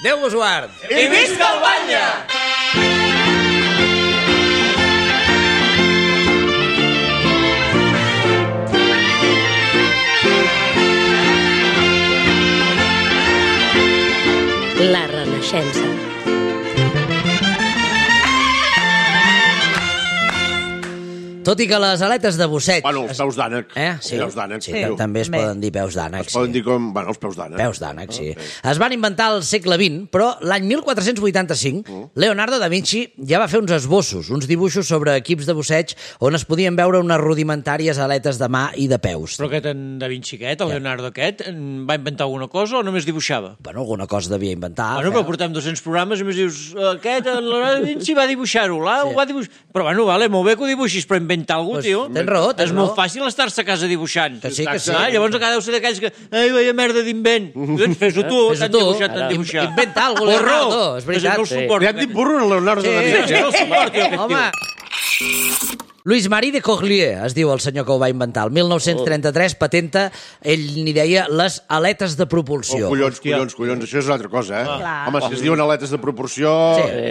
Déu vos guard! I visca el Batlle! La Renaixença. Tot i que les aletes de busseig... Bueno, els peus d'ànec. Sí, Peus d'ànec. sí, també es poden dir peus d'ànec. Es poden dir com... Bueno, els peus d'ànec. Peus d'ànec, sí. Es van inventar al segle XX, però l'any 1485 Leonardo da Vinci ja va fer uns esbossos, uns dibuixos sobre equips de busseig on es podien veure unes rudimentàries aletes de mà i de peus. Però aquest en Da Vinci aquest, el Leonardo aquest, va inventar alguna cosa o només dibuixava? Bueno, alguna cosa devia inventar. Bueno, però portem 200 programes i més dius, aquest, el Leonardo da Vinci va dibuixar-ho, ho va dibuixar... Però bueno, vale, molt bé que ho dibuixis, però inventar alguna cosa, tio. Tens raó, és molt fàcil estar-se a casa dibuixant. Que sí, que sí. Llavors encara deu ser d'aquells que... Ai, veia merda d'invent. Doncs fes-ho tu, t'han dibuixat, t'han dibuixat. Inventa alguna cosa, Leonardo, és veritat. No el suporto. Ja et dic burro, el Leonardo da Vinci. No el suporto, aquest tio. Louis Marie de Corlier, es diu el senyor que ho va inventar. El 1933 patenta, ell n'hi deia, les aletes de propulsió. Collons, això és una altra cosa, Home, si es diuen aletes de proporció,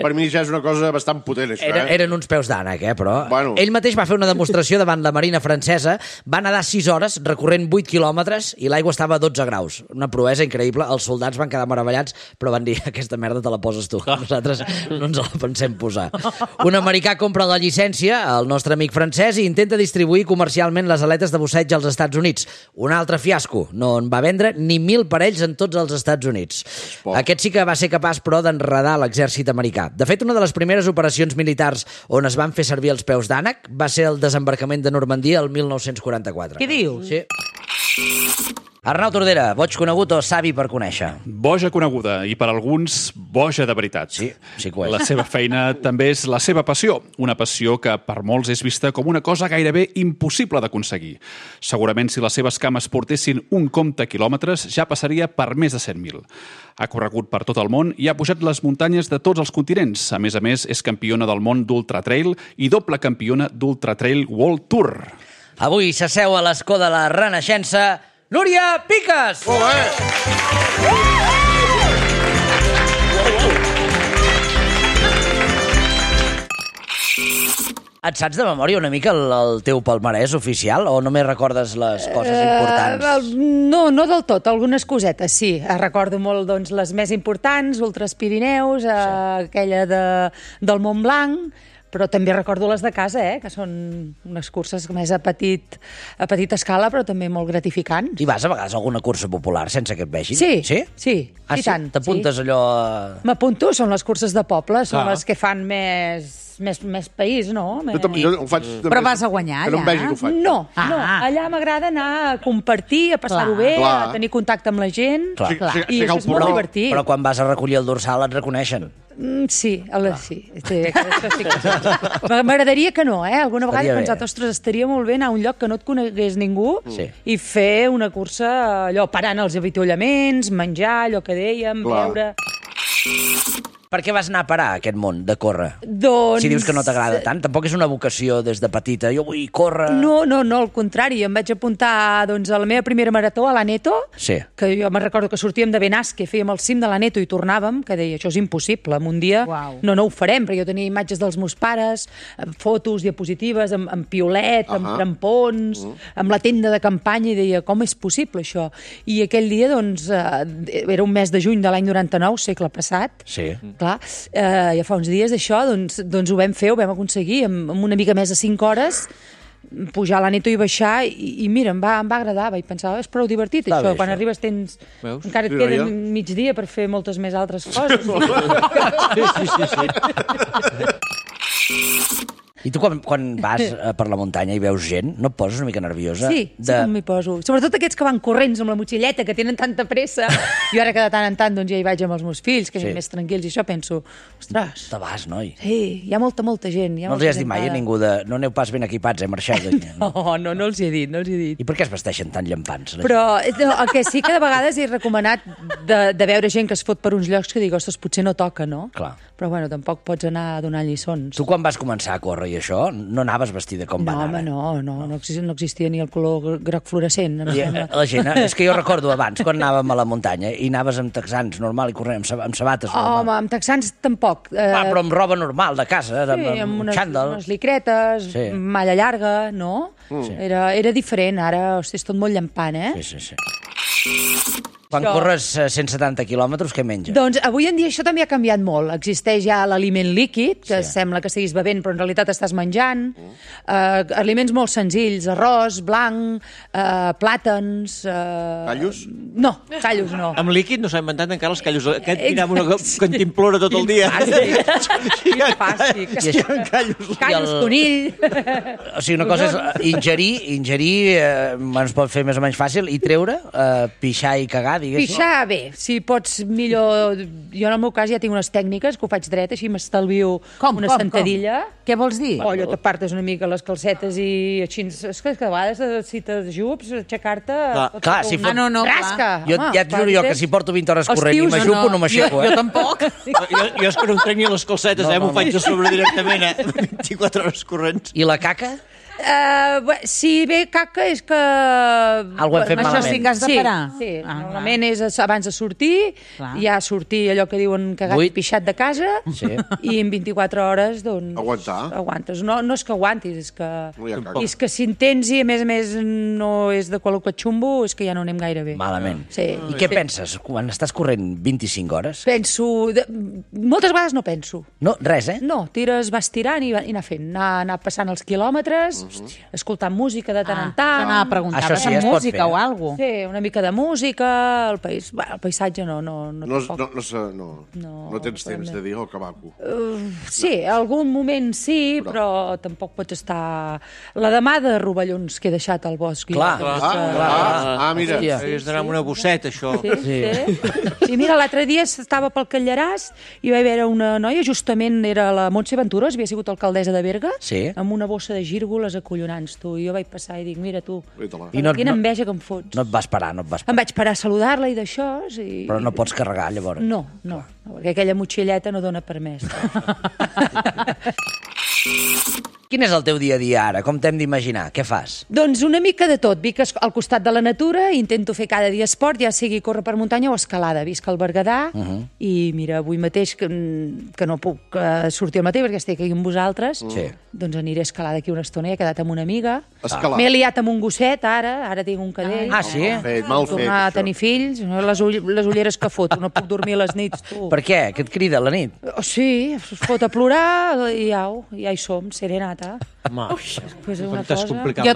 per mi ja és una cosa bastant potent, això, Eren uns peus d'ànec, però... Bueno. Ell mateix va fer una demostració davant la Marina francesa, va nedar 6 hores, recorrent 8 quilòmetres, i l'aigua estava a 12 graus. Una proesa increïble. Els soldats van quedar meravellats, però van dir, aquesta merda te la poses tu. Nosaltres no ens la pensem posar. Un americà compra la llicència, el nostre amic francès, i intenta distribuir comercialment les aletes de busseig als Estats Units. Un altre fiasco. No en va vendre ni 1.000 parells en tots els Estats Units. Aquest sí que va ser capaç, però, d'enredar l'exèrcit americà. De fet, una de les primeres operacions militars on es van fer servir els peus d'ànec va ser el desembarcament de Normandia el 1944. Què dius? Sí. Arnau Tordera, boig conegut o savi per conèixer? Boja coneguda i per alguns boja de veritat. Sí que ho és. La seva feina també és la seva passió, una passió que per molts és vista com una cosa gairebé impossible d'aconseguir. Segurament si les seves cames portessin un compte quilòmetres ja passaria per més de 100.000. Ha corregut per tot el món i ha pujat les muntanyes de tots els continents. A més, és campiona del món d'Ultra Trail i doble campiona d'Ultra Trail World Tour. Avui s'asseu a l'escó de la Renaixença Núria Piques! Et saps de memòria una mica el teu palmarès oficial o només recordes les coses importants? No del tot, algunes cosetes, sí. Recordo molt les més importants, Ultras Pirineus, aquella del Mont Blanc, però també recordo les de casa, que són unes curses més a petita escala, però també molt gratificants. I vas a vegades a alguna cursa popular sense que et vegin? Sí, i tant. T'apuntes allò... M'apunto, són les curses de poble, són les que fan més país, no? Jo ho faig... Però vas a guanyar, allà? Que no em vegi que ho faig. No, allà m'agrada anar a compartir, a passar-ho bé, a tenir contacte amb la gent, i això és molt divertit. Però quan vas a recollir el dorsal et reconeixen. Sí, això sí. M'agradaria que no, alguna vegada he pensat, ostres, estaria molt bé anar a un lloc que no et conegués ningú i fer una cursa, allò, parant els avituallaments, menjar, allò que dèiem, beure... Per què vas anar a parar a aquest món de córrer? Doncs... Si dius que no t'agrada tant, tampoc és una vocació des de petita. Jo vull córrer... No, al contrari. Em vaig apuntar a la meva primera marató a l'Aneto, que jo me'n recordo que sortíem de Benasque, fèiem el cim de l'Aneto i tornàvem, que deia, això és impossible, en un dia no ho farem, perquè jo tenia imatges dels meus pares, fotos, diapositives, amb piolet, amb crampons, amb la tenda de campanya, i deia, com és possible això? I aquell dia, era un mes de juny de l'any 99, segle passat, clar, ja fa uns dies d'això, doncs ho vam fer, ho vam aconseguir, amb una mica més de 5 hores, pujar a l'Aneto i baixar, i mira, em va agradar, vaig pensar, és prou divertit això, quan arribes encara et queda migdia per fer moltes més altres coses. I tu quan vas per la muntanya i veus gent, no et poses una mica nerviosa? Sí que m'hi poso. Sobretot aquests que van corrents amb la motxilleta, que tenen tanta pressa. Jo ara que de tant en tant ja hi vaig amb els meus fills, que són més tranquils, i això penso, ostres... Te vas, noi. Sí, hi ha molta gent. No els has dit mai a ningú de... No aneu pas ben equipats, marxeu d'aquí. No els hi he dit. I per què es vesteixen tan llampants? Però el que sí que de vegades he recomanat de veure gent que es fot per uns llocs que dic, ostres, potser no toca, no? Clar. Però bueno, tampoc pots anar a donar lliçons. Tu quan vas començar a córrer i això, no anaves vestida com van ara. No existia ni el color groc fluorescent. La gent, és que jo recordo abans, quan anàvem a la muntanya, i anaves amb texans normal i corrent, amb sabates normal. Home, amb texans tampoc. Però amb roba normal, de casa, amb xandall. Unes licretes, malla llarga, no? Era diferent, ara és tot molt llampant, eh? Sí. Quan corres 170 quilòmetres, què menges? Doncs avui en dia això també ha canviat molt. Existeix ja l'aliment líquid, que sembla que estiguis bevent, però en realitat estàs menjant. Aliments molt senzills, arròs, blanc, plàtans... Callos? No, callos no. Amb líquid no s'ha inventat encara els callos. Aquest tirava una cantimplora tot el dia. Fàstic. Callos, conill... O sigui, una cosa és ingerir es pot fer més o menys fàcil, i treure, pixar i cagar, diguéssim. Pixar, bé, si pots millor... Jo en el meu cas ja tinc unes tècniques que ho faig dret, així m'estalvio una sentadilla. Què vols dir? Allò t'apartes una mica les calcetes i així... És que a vegades si t'ajups, aixecar-te... Clar, si fot... No, rasca. Ja et juro jo que si porto 20 hores corrent i m'ajupo, no m'aixeco, Jo tampoc. Jo és que no em trec ni les calcetes, m'ho faig de sobre directament, 24 hores corrents. I la caca? Si ve caca és que... Algo hem fet Això sí que has de parar. Sí, normalment és abans de sortir, ja sortir allò que diuen cagat i pixat de casa, i en 24 hores, doncs... Aguantes. No és que aguantis, és que... És que si en tens i, a més, no és de qualque xumbo, és que ja no anem gaire bé. Malament. Sí. I què penses quan estàs corrent 25 hores? Penso... Moltes vegades no penso. No, res, eh? No, vas tirant i anar fent, anar passant els quilòmetres, escoltant música de tant en tant. Anava a preguntar, això sí, música o alguna cosa. Sí, una mica de música, el paisatge no tens temps de dir, que maco. Sí, algun moment sí, però tampoc pots estar... La de mà de rovellons que he deixat al bosc. Clar. Mira. Havies d'anar amb una bosseta, això. Sí, mira, l'altre dia estava pel Callaràs i va haver una noia, justament era la Montse Venturós, havia sigut alcaldessa de Berga, amb una bossa de gírgoles acollonants, tu. I jo vaig passar i dic, mira tu, quina enveja que em fots. No et vas parar. Em vaig parar a saludar-la i d'això... Però no pots carregar, llavors. No, perquè aquella motxilleta no dona permès. Quin és el teu dia a dia ara? Com t'hem d'imaginar? Què fas? Doncs una mica de tot. Vic al costat de la natura, intento fer cada dia esport, ja sigui córrer per muntanya o escalada. Visc al Berguedà i mira, avui mateix que no puc sortir al matí perquè estic aquí amb vosaltres, doncs aniré a escalar d'aquí una estona. He quedat amb una amiga. M'he liat amb un gosset, ara tinc un cadell. Sí? Mal fet, tornar a tenir fills, les ulleres que foto, no puc dormir a les nits, tu. Per què? Què et crida a la nit? Sí, es fot a plorar i ja hi som, serenata. Jo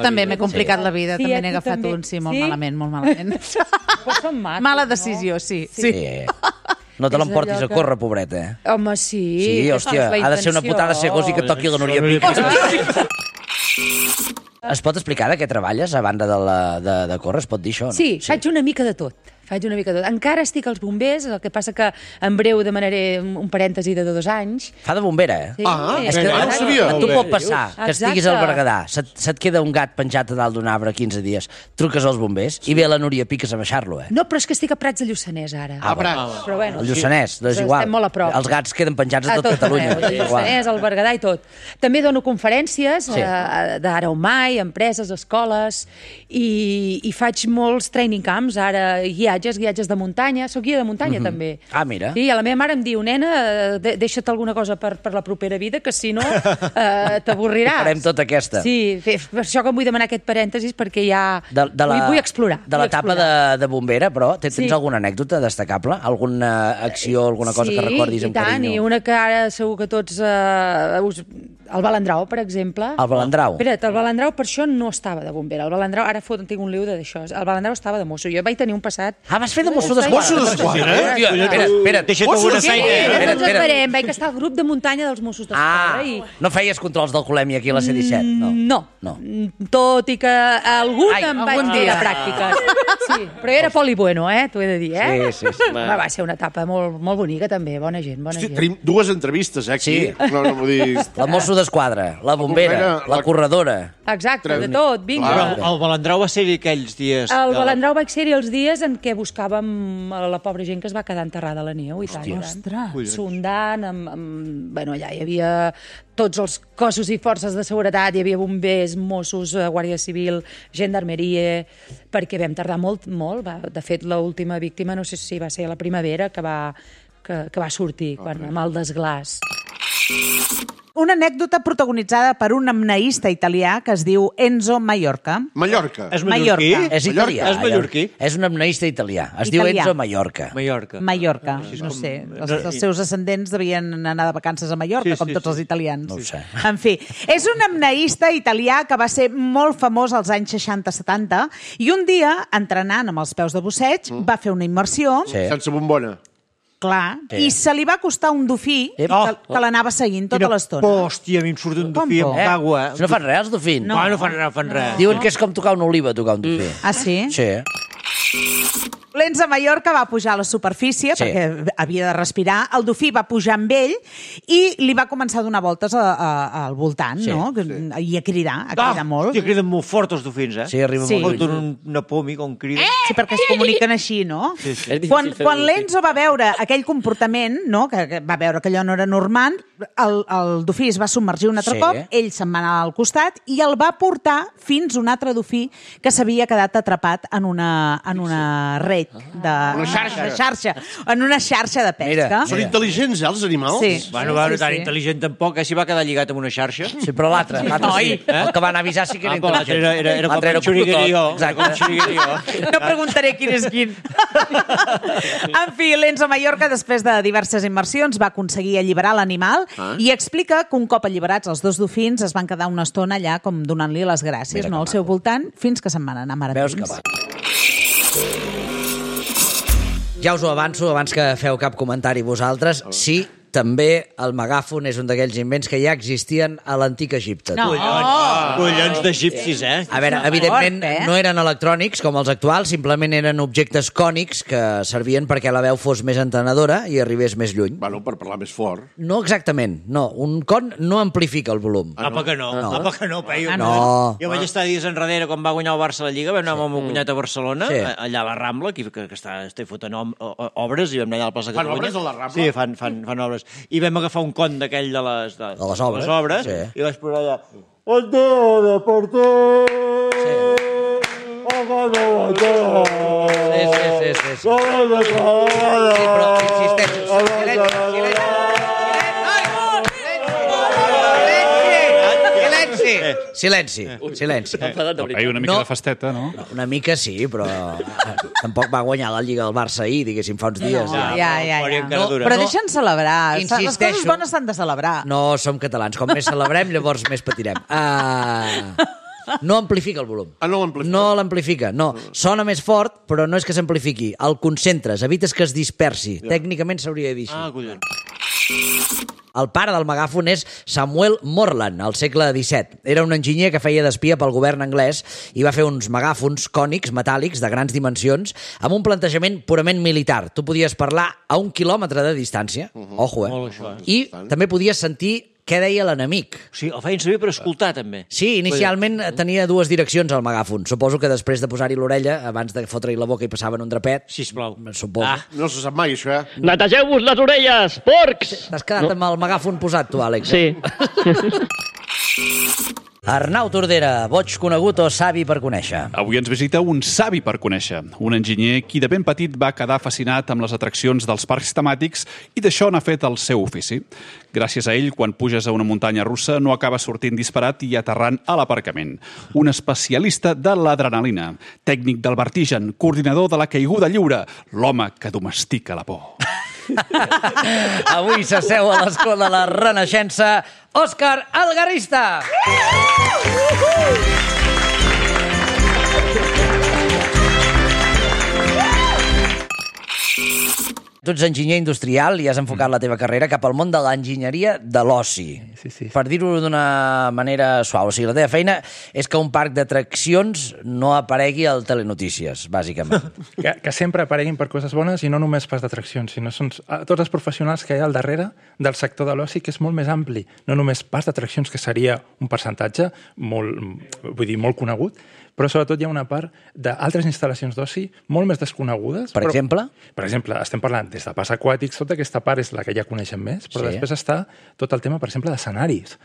també m'he complicat la vida, també n'he agafat un, molt malament. Mala decisió, sí. No te l'emportis a córrer, pobreta, eh? Home, sí. Sí, hòstia, ha de ser una putada segós i que toqui la Núria Pica. Es pot explicar de què treballes a banda de córrer? Es pot dir això, no? Sí, faig una mica de tot. Encara estic als bombers, el que passa que en breu demanaré un parèntesi de 2 anys. Fa de bombera, eh? Sí. És que no sabia. tu pot passar que estiguis al Berguedà, se't queda un gat penjat a dalt d'un arbre 15 dies, truques als bombers i ve la Núria Piques a baixar-lo, eh? No, però és que estic a Prats de Lluçanès, ara. Prats. Però bueno, el Lluçanès, és igual. Estem molt a prop. Els gats queden penjats a tot Catalunya. El Lluçanès, el Berguedà i tot. També dono conferències d'ara o mai, empreses, escoles, i faig molts training camps, ara guiatges de muntanya. Soc guia de muntanya, també. Ah, mira. Sí, la meva mare em diu, nena, deixa't alguna cosa per la propera vida, que si no t'avorriràs. Farem tota aquesta. Sí, per això que em vull demanar aquest parèntesis, perquè ja vull explorar. De l'etapa de bombera, però, tens alguna anècdota destacable? Alguna acció, alguna cosa que recordis amb carinyo? Sí, i una que ara segur que tots... El Balandrau, per exemple. El Balandrau? Espera't, el Balandrau per això no estava de bombera. El Balandrau, ara tinc un liu d'això. El Balandrau estava de mosso. Jo vaig tenir un passat... Vas fer de mosso d'esquadra? Mosso d'esquadra? Espera't. Deixa't alguna feina. Doncs esperem. Vaig estar al grup de muntanya dels Mossos d'Esquadra. No feies controls d'alcoholèmia aquí a la C-17? No. Tot i que algun em vaig dir a pràctiques. Sí, però era poli bueno, t'ho he de dir, Sí. Va ser una etapa molt bonica, també. Bona gent. Tenim 2 entrevistes, aquí. Sí. No vull dir... La mosso d'Esquadra, la bombera, la corredora... Exacte, de tot, vinga. Però el Balandrau va ser-hi aquells dies... El Balandrau va ser-hi els dies en què buscàvem la pobra gent que es va quedar enterrada a la neu, i tant. Ostres! Sondant, bueno, allà hi havia tots els cossos i forces de seguretat, hi havia bombers, Mossos, Guàrdia Civil, Gendarmeria, perquè vam tardar molt. De fet, l'última víctima, no sé si va ser a la primavera, que va sortir amb el desglàs. Una anècdota protagonitzada per un apneista italià que es diu Enzo Mallorca. Mallorca. És mallorquí? És italià. És mallorquí? És un apneista italià. Es diu Enzo Mallorca. Mallorca, no sé. Els seus ascendents devien anar de vacances a Mallorca, com tots els italians. No ho sé. En fi, és un apneista italià que va ser molt famós als anys 60-70 i un dia, entrenant amb els peus de busseig, va fer una immersió. Sense bombona. Clar, i se li va acostar un dofí que l'anava seguint tota l'estona. Hòstia, a mi em surt un dofí amb aigua. No fan res, els dofins? No fan res. Diuen que és com tocar una oliva, tocar un dofí. Ah, sí? Sí. L'Enzo Mallorca va pujar a la superfície perquè havia de respirar. El dofí va pujar amb ell i li va començar a donar voltes al voltant, no? I a cridar molt. Hòstia, criden molt fort els dofins, eh? Sí, arriba molt lluny. Una pòmic on criden. Sí, perquè es comuniquen així, no? Quan l'Enzo va veure aquell comportament, no? Que va veure que allò no era normal, el dofí es va submergir un altre cop, ell se'n va anar al costat i el va portar fins a un altre dofí que s'havia quedat atrapat en una red una xarxa, en una xarxa de pesca. Són intel·ligents, els animals? Sí. Bueno, tan intel·ligent tampoc, si va quedar lligat amb una xarxa. Sí, però l'altre sí. El que van avisar sí que era intel·ligent. Era com un xuriguerío. No preguntaré quin és quin. En fi, l'Enzo Mallorca, després de diverses immersions, va aconseguir alliberar l'animal i explica que un cop alliberats els dos dofins es van quedar una estona allà com donant-li les gràcies al seu voltant fins que se'n van anar maratons. Veus que va. Ja us ho avanço, abans que feu cap comentari vosaltres, sí, també el megàfon és un d'aquells invents que ja existien a l'antic Egipte. No. Collons d'egipcis, eh? A veure, evidentment no eren electrònics com els actuals, simplement eren objectes cònics que servien perquè la veu fos més entenedora i arribés més lluny. Bueno, per parlar més fort. No exactament, no. Un con no amplifica el volum. Apa que no, Peyu. No. Jo vaig estar dies enrere quan va guanyar el Barça a la Lliga, vam anar amb el meu cunyat a Barcelona, allà a la Rambla, que està fotent obres, i vam anar allà a la plaça Catalunya. Fan obres a la Rambla? Sí, fan obres. I vam agafar un con d'aquell de les obres i vaig posar allà Antena Deporte! Sí. Però insisteixo, silenci. Hi ha una mica de festeta, no? Una mica sí, però tampoc va guanyar la Lliga del Barça ahir, diguéssim, fa uns dies. Però deixa'ns celebrar. Les coses bones s'han de celebrar. No som catalans. Com més celebrem, llavors més patirem. No amplifica el volum. No l'amplifica, no. Sona més fort, però no és que s'amplifiqui. El concentres, evites que es dispersi. Tècnicament s'hauria de dir així. El pare del megàfon és Samuel Morland, al segle XVII. Era un enginyer que feia d'espia pel govern anglès i va fer uns megàfons cònics, metàl·lics, de grans dimensions, amb un plantejament purament militar. Tu podies parlar a 1 quilòmetre de distància, ojo, i també podies sentir què deia l'enemic. Sí, el feien servir per escoltar, també. Sí, inicialment tenia dues direccions al megàfon. Suposo que després de posar-hi l'orella, abans de fotre-hi la boca i passaven un drapet... Sisplau. Suposo. No se sap mai, això, Netegeu-vos les orelles, porcs! T'has quedat amb el megàfon posat, tu, Àlex? Sí. Arnau Tordera, boig conegut o savi per conèixer? Avui ens visita un savi per conèixer, un enginyer qui de ben petit va quedar fascinat amb les atraccions dels parcs temàtics i d'això n'ha fet el seu ofici. Gràcies a ell, quan puges a una muntanya russa no acabes sortint disparat i aterrant a l'aparcament. Un especialista de l'adrenalina, tècnic del vertigen, coordinador de la caiguda lliure, l'home que domestica la por. Avui s'asseu a l'escó de la Renaixença, Òscar Algarrista! Tu ets enginyer industrial i has enfocat la teva carrera cap al món de l'enginyeria de l'oci. Sí. Per dir-ho d'una manera suau. O sigui, la teva feina és que un parc d'atraccions no aparegui al Telenotícies, bàsicament. Que sempre apareguin per coses bones i no només pas d'atraccions, sinó són tots els professionals que hi ha al darrere del sector de l'oci, que és molt més ampli. No només pas d'atraccions, que seria un percentatge molt conegut, però sobretot hi ha una part d'altres instal·lacions d'oci molt més desconegudes. Per exemple? Per exemple, estem parlant des de parcs aquàtics, tota aquesta part és la que ja coneixem més, però després està tot el tema, per exemple, d'escenaris.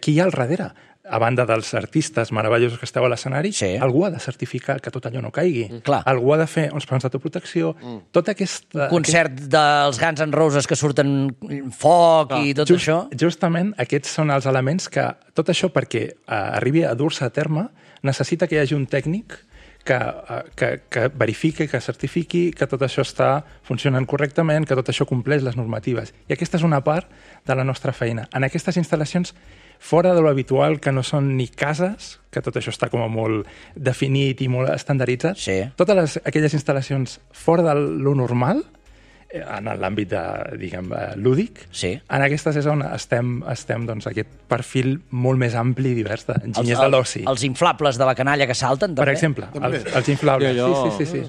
Qui hi ha al darrere? A banda dels artistes meravellosos que esteu a l'escenari, algú ha de certificar que tot allò no caigui. Algú ha de fer uns plans d'autoprotecció. Tota aquesta... Un concert dels Guns N' Roses que surten foc i tot això. Justament aquests són els elements que tot això, perquè arribi a dur-se a terme, necessita que hi hagi un tècnic que verifiqui, que certifiqui que tot això està funcionant correctament, que tot això compleix les normatives. I aquesta és una part de la nostra feina. En aquestes instal·lacions, fora de lo habitual, que no són ni cases, que tot això està com a molt definit i molt estandarditzat, totes aquelles instal·lacions fora de lo normal, en l'àmbit lúdic, en aquestes és on estem aquest perfil molt més ampli i divers d'enginyers de l'oci. Els inflables de la canalla que salten, també? Per exemple, els inflables. Sí.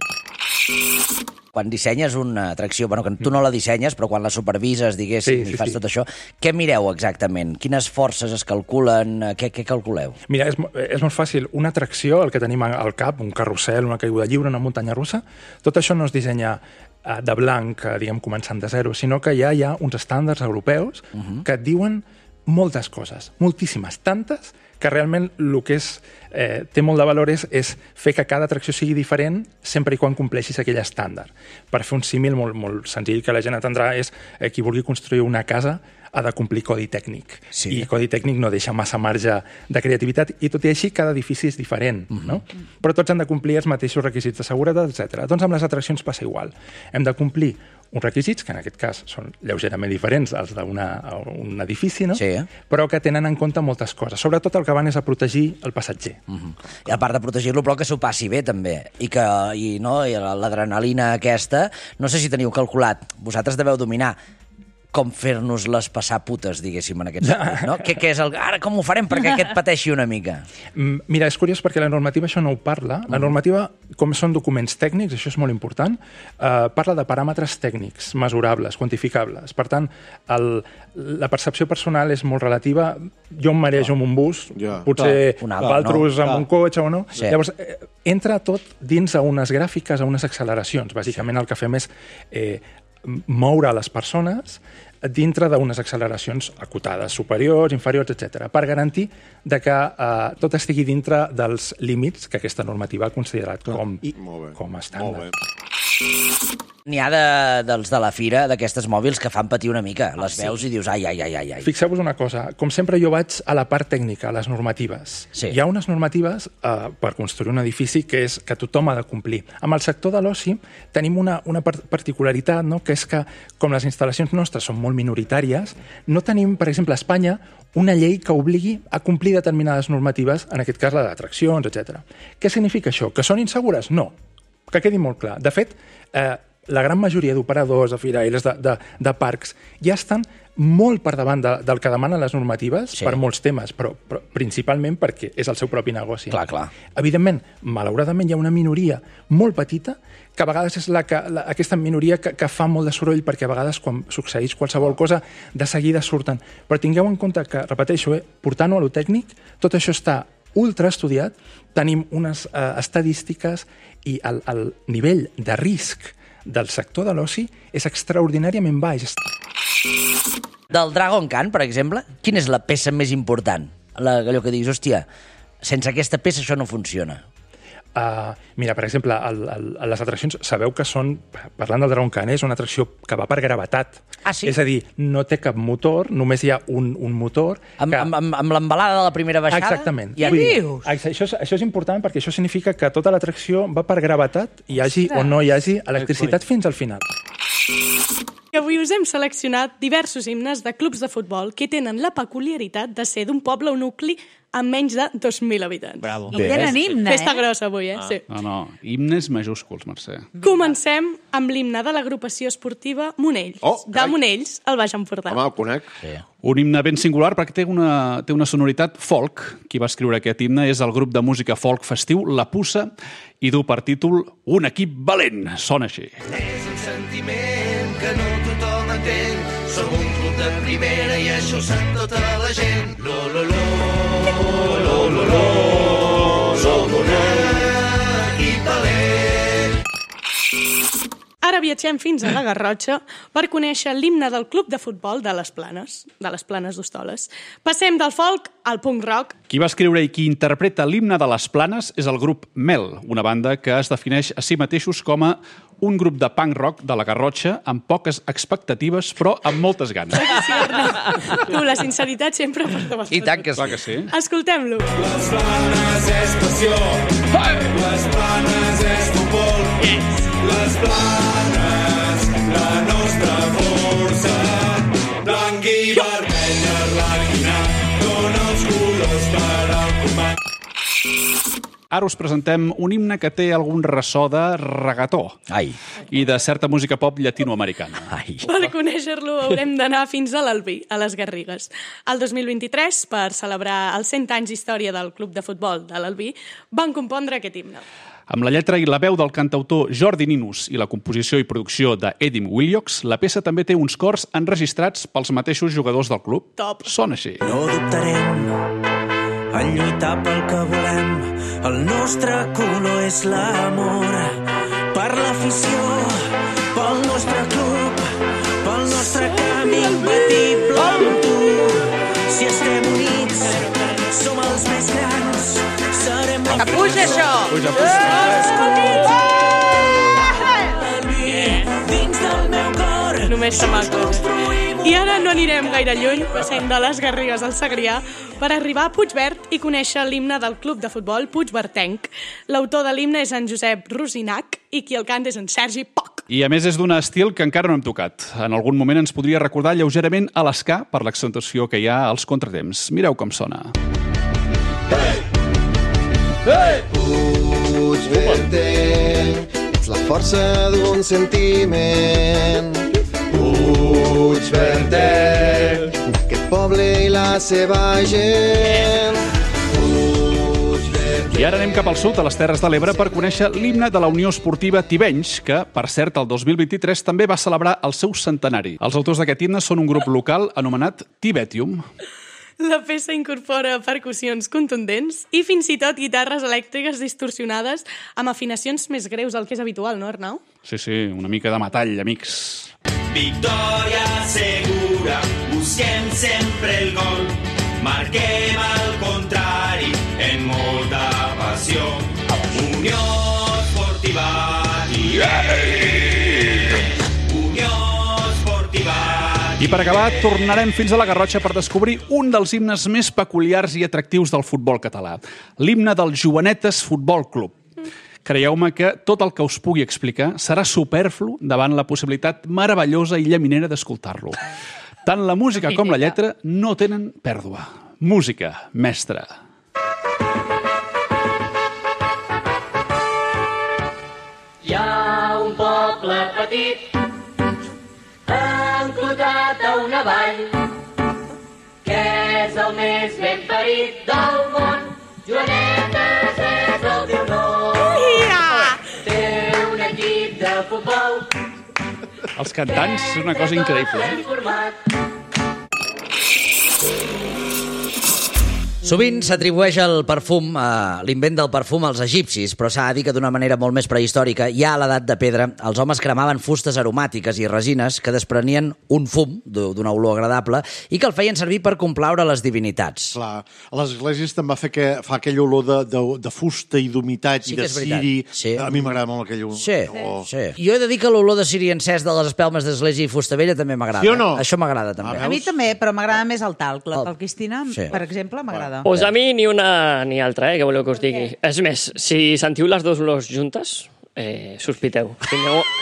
Quan dissenyes una atracció, bueno, que tu no la dissenyes, però quan la supervises, diguéssim, i fas tot això, què mireu exactament? Quines forces es calculen? Què calculeu? Mira, és molt fàcil. Una atracció, el que tenim al cap, un carrusel, una caiguda lliure, una muntanya russa, tot això no es dissenya de blanc, diguem, començant de zero, sinó que ja hi ha uns estàndards europeus que et diuen moltes coses, moltíssimes, tantes, que realment el que té molt de valor és fer que cada atracció sigui diferent sempre i quan compleixis aquell estàndard. Per fer un símil molt senzill que la gent entendrà és qui vulgui construir una casa ha de complir codi tècnic. I codi tècnic no deixa massa marge de creativitat i tot i així cada edifici és diferent. No? Però tots han de complir els mateixos requisits de seguretat, etc. Doncs amb les atraccions passa igual. Hem de complir uns requisits, que en aquest cas són lleugerament diferents als d'un edifici, no? Però que tenen en compte moltes coses. Sobretot el que van és a protegir el passatger. I a part de protegir-lo, però que s'ho passi bé, també. I l'adrenalina aquesta, no sé si teniu calculat, vosaltres deveu dominar com fer-nos-les passar putes, diguéssim, en aquest sentit, no? Què és ara com ho farem perquè aquest pateixi una mica? Mira, és curiós perquè la normativa això no ho parla. La normativa, com són documents tècnics, això és molt important, parla de paràmetres tècnics, mesurables, quantificables. Per tant, la percepció personal és molt relativa. Jo em marejo amb un bus, potser altres amb un cotxe o no. Llavors, entra tot dins a unes gràfiques, a unes acceleracions. Bàsicament el que fem és moure les persones dintre d'unes acceleracions acotades, superiors, inferiors, etc., per garantir que tot estigui dintre dels límits que aquesta normativa ha considerat com a estàndard. N'hi ha dels de la fira, d'aquestes mòbils, que fan patir una mica. Les veus i dius, ai. Fixeu-vos una cosa, com sempre jo vaig a la part tècnica, a les normatives. Hi ha unes normatives per construir un edifici que tothom ha de complir. Amb el sector de l'oci tenim una particularitat, no? Que és que, com les instal·lacions nostres són molt minoritàries, no tenim, per exemple, a Espanya, una llei que obligui a complir determinades normatives, en aquest cas la d'atraccions, etc. Què significa això? Que són insegures? No. Que quedi molt clar. De fet, la gran majoria d'operadors, de firaires, de parcs, ja estan molt per davant del que demanen les normatives per molts temes, però principalment perquè és el seu propi negoci. Clar. Evidentment, malauradament, hi ha una minoria molt petita que a vegades és aquesta minoria que fa molt de soroll, perquè a vegades quan succeeix qualsevol cosa de seguida surten. Però tingueu en compte que, repeteixo, portant-ho a lo tècnic, tot això està ultra estudiat, tenim unes estadístiques i el nivell de risc del sector de l'oci és extraordinàriament baix. Del Dragon Khan, per exemple, quina és la peça més important? Allò que diguis, hòstia, sense aquesta peça això no funciona. Mira, per exemple, les atraccions, sabeu que són, parlant del Dragon Khan, és una atracció que va per gravetat. Sí? És a dir, no té cap motor, només hi ha un motor. Amb l'embalada de la primera baixada? Exactament. Què dius? Això és important perquè això significa que tota l'atracció va per gravetat, hi hagi o no hi hagi electricitat fins al final. Avui us hem seleccionat diversos himnes de clubs de futbol que tenen la peculiaritat de ser d'un poble o nucli amb menys de 2.000 habitants. Bravo. I tenen himne, Festa grossa avui, Sí. No, himnes majúsculs, Mercè. Comencem amb l'himne de l'agrupació esportiva Monells, de Monells, al Baix Empordà. Home, el conec. Sí. Un himne ben singular perquè té una sonoritat folk. Qui va escriure aquest himne és el grup de música folk festiu La Puça i du per títol Un equip valent. Sona així. És un sentiment que no tothom entén. Som un club de primera i això ho sap tota la gent. Lo, lo, lo, lo, lo, lo. Som un equip valent. Ara viatgem fins a la Garrotxa per conèixer l'himne del club de futbol de les Planes d'Hostoles. Passem del folk al punk rock. Qui va escriure i qui interpreta l'himne de les Planes és el grup Mel, una banda que es defineix a si mateixos com a un grup de punk rock de la Garrotxa amb poques expectatives, però amb moltes ganes. Sí, Arnau. Tu, la sinceritat sempre per davant. I tant que sí. Clar que sí. Escoltem-lo. Les Planes és passió. Les Planes és futbol. Les Planes, la nostra força. Blanc i vermell arlequinat, dona els colors per al combat. Ara us presentem un himne que té algun ressò de regató. Ai. I de certa música pop llatinoamericana. Ai. Per conèixer-lo haurem d'anar fins a l'Albi, a les Garrigues. El 2023, per celebrar els 100 anys d'història del club de futbol de l'Albi, van compondre aquest himne. Amb la lletra i la veu del cantautor Jordi Ninus i la composició i producció d'Edim Willocks, la peça també té uns cors enregistrats pels mateixos jugadors del club. Top. Sona així. No dubtarem en lluitar pel que volem. El nostre color és l'amor per l'afició, pel nostre club, pel nostre camí imbatible amb tu. Si estem units, som els més grans, serem la Que puja això! Puja, puja. dins del meu cor. Només se maco. I ara no anirem gaire lluny, passem de les Garrigues al Segrià per arribar a Puigverd i conèixer l'himne del club de futbol Puigverdenc. L'autor de l'himne és en Josep Rosinac i qui el canta és en Sergi Poch. I a més és d'un estil que encara no hem tocat. En algun moment ens podria recordar lleugerament a l'esca per l'accentuació que hi ha als contratemps. Mireu com sona. Hey! Hey! Puigverdenc, ets la força d'un sentiment. Puigverdenc, d'aquest poble i la seva gent. I ara anem cap al sud, a les Terres de l'Ebre, per conèixer l'himne de la Unió Esportiva Tivenys, que, per cert, el 2023 també va celebrar el seu centenari. Els autors d'aquest himne són un grup local anomenat Tibetium. La peça incorpora percussions contundents i fins i tot guitarres elèctriques distorsionades amb afinacions més greus del que és habitual, no, Arnau? Sí, una mica de metall, amics. Victòria segura, busquem sempre el gol, marquem al contrari en molta passió. Unió Esportiva Unió Esportiva. I per acabar, tornarem fins a la Garrotxa per descobrir un dels himnes més peculiars i atractius del futbol català, l'himne del Joanetes Futbol Club. Creieu-me que tot el que us pugui explicar serà superflu davant la possibilitat meravellosa i llaminera d'escoltar-lo. Tant la música com la lletra no tenen pèrdua. Música, mestre. Hi ha un poble petit enclotat a una vall que és el més ben parit del món. Joanetes és el teu nom. Té un equip de futbol. Els cantants és una cosa increïble. Sovint s'atribueix el perfum, l'invent del perfum als egipcis, però s'ha de dir que d'una manera molt més prehistòrica, ja a l'edat de pedra, els homes cremaven fustes aromàtiques i resines que desprenien un fum d'una olor agradable i que el feien servir per complaure les divinitats. Clar, a les esglésies també fa aquella olor de fusta i d'humitat i de ciri. Sí. A mi m'agrada molt aquell olor. Sí. Jo he de dir que l'olor de ciri encès de les espelmes d'església i fusta vella també m'agrada. Sí o no? Això m'agrada també. A mi també, però m'agrada més el talc. La talquistina, per exemple, m'agrada. Pues a mi ni una ni altra, què voleu que us digui. És més, si sentiu les dues olors juntes, sospiteu.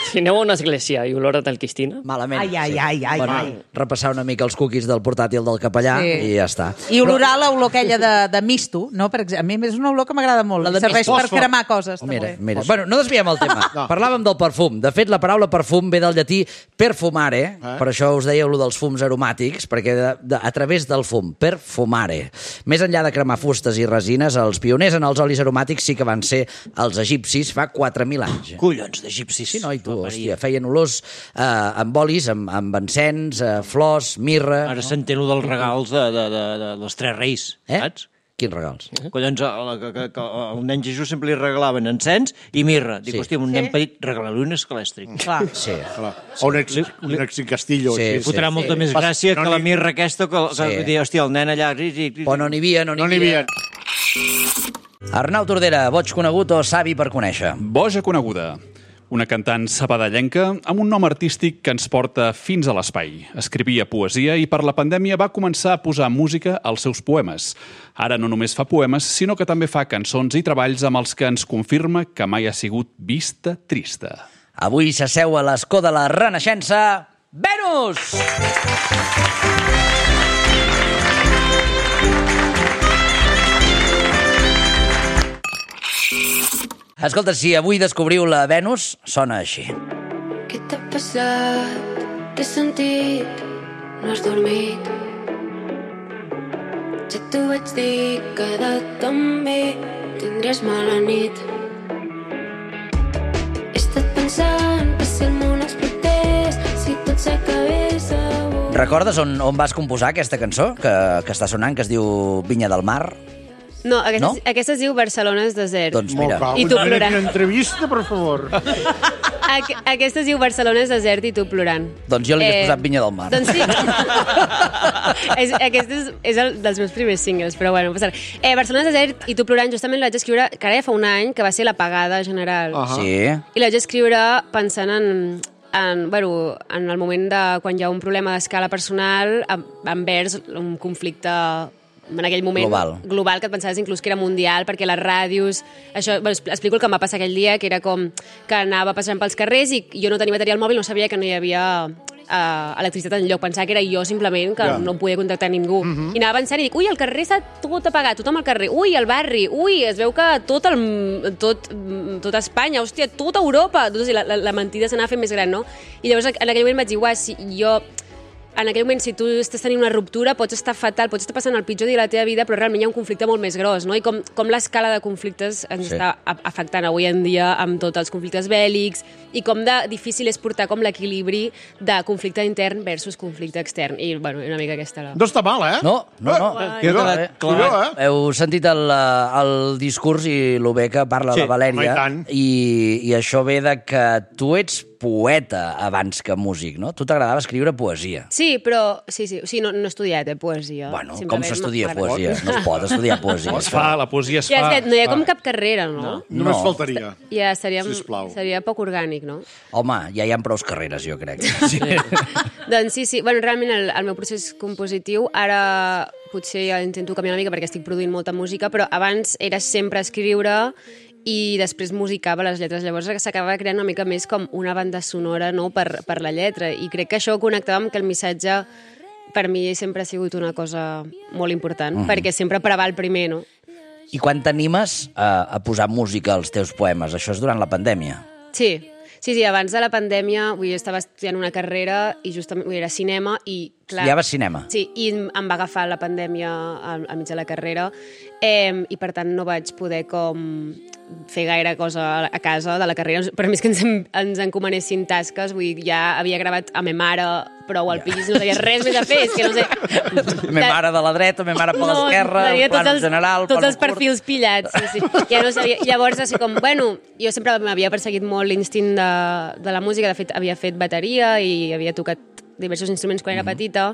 Si aneu a una església i olor a talquistina... Malament. Ai. Repassar una mica els cookies del portàtil del capellà i ja està. I olorar l'olor aquella de misto, no? Per exemple, a mi és una olor que m'agrada molt. Serveix per cremar coses. Mira. Bueno, no desviem el tema. Parlàvem del perfum. De fet, la paraula perfum ve del llatí perfumare, per això us deia allò dels fums aromàtics, perquè a través del fum, perfumare. Més enllà de cremar fustes i resines, els pioners en els olis aromàtics sí que van ser els egipcis fa 4.000 anys. Collons d'egipcis. Sí, no? I tu, hòstia, feien olors amb olis, amb encens, flors, mirra... Ara s'entén dels regals dels tres reis, saps? Quins regals? Collons, al nen Jesús sempre li regalaven encens i mirra. Dic, hòstia, un nen petit, regala-li un escalèstric. Clar. Sí. O un excastillo. Fotrà molta més gràcia que la mirra aquesta, que dir, hòstia, el nen allà... O no n'hi havia. Arnau Tordera, boig conegut o savi per conèixer? Boja coneguda. Una cantant sabadellenca amb un nom artístic que ens porta fins a l'espai. Escrivia poesia i per la pandèmia va començar a posar música als seus poemes. Ara no només fa poemes, sinó que també fa cançons i treballs amb els que ens confirma que mai ha sigut vista trista. Avui s'asseu a l'escó de la Renaixença, Venus! Escolta, si avui descobriu la Venus, sona així. Què t'ha passat? T'he sentit? No has dormit? Ja t'ho vaig dir, queda't amb mi, tindràs mala nit. He estat pensant que si el món explotés, si tot s'acabés avui... Recordes on vas composar aquesta cançó que està sonant, que es diu Vinya del Mar? No, aquesta es diu Barcelona és desert. Doncs mira. I tu plorant. Una entrevista, per favor. Aquesta es diu Barcelona és desert i tu plorant. Doncs jo li he posat Vinya del Mar. Doncs sí. Aquest és el dels meus primers singles, però bueno, no passa res. Barcelona és desert i tu plorant, justament la vaig escriure, que ara ja fa un any, que va ser l'apagada general. Sí. I la vaig escriure pensant en el moment de quan hi ha un problema d'escala personal envers un conflicte en aquell moment global que et pensaves inclús que era mundial, perquè les ràdios... Explico el que em va passar aquell dia, que era com que anava passant pels carrers i jo no tenia bateria al mòbil, no sabia que no hi havia electricitat enlloc. Pensava que era jo simplement, que no podia contactar ningú. I anava pensant i dic, ui, el carrer està tot apagat, tothom al carrer, ui, el barri, ui, es veu que tot Espanya, hòstia, tota Europa. La mentida s'anava fent més gran, no? I llavors en aquell moment vaig dir, uah, si jo... En aquell moment, si tu estàs tenint una ruptura, pots estar fatal, pots estar passant el pitjor dia de la teva vida, però realment hi ha un conflicte molt més gros, no? I com l'escala de conflictes ens està afectant avui en dia amb tots els conflictes bèl·lics i com de difícil és portar com l'equilibri de conflicte intern versus conflicte extern. I, bueno, una mica aquesta... No està mal, eh? No. Heu sentit el discurs i el bé que parla la Valèria, i això ve de que tu ets poeta abans que músic, no? Tu t'agradava escriure poesia. Sí, però... Sí, no he estudiat poesia. Bueno, com s'estudia poesia? No es pot estudiar poesia. La poesia es fa. No hi ha com cap carrera, no? Només faltaria. Ja seria poc orgànic, no? Home, ja hi ha prou carreres, jo crec. Doncs sí. Bueno, realment el meu procés compositiu ara potser ja intento canviar una mica perquè estic produint molta música, però abans era sempre escriure i després musicava les lletres. Llavors s'acabava creant una mica més com una banda sonora, no?, per la lletra. I crec que això connectava amb que el missatge per mi sempre ha sigut una cosa molt important, perquè sempre preval primer, no? I quan t'animes a posar música als teus poemes? Això és durant la pandèmia? Sí, abans de la pandèmia jo estava estudiant una carrera i justament era cinema i... Estudiaves cinema? Sí, i em va agafar la pandèmia al mig de la carrera i per tant no vaig poder com fer gaire cosa a casa de la carrera. Per mi és que ens encomanessin tasques, vull dir, ja havia gravat a me mare prou al pis, no sabia res més a fer, és que no sé... Me mare de la dreta, me mare per l'esquerra, plano general... Tots els perfils pillats, sí. Ja no sabia. Llavors, així com, bueno, jo sempre m'havia perseguit molt l'instint de la música, de fet, havia fet bateria i havia tocat diversos instruments quan era petita,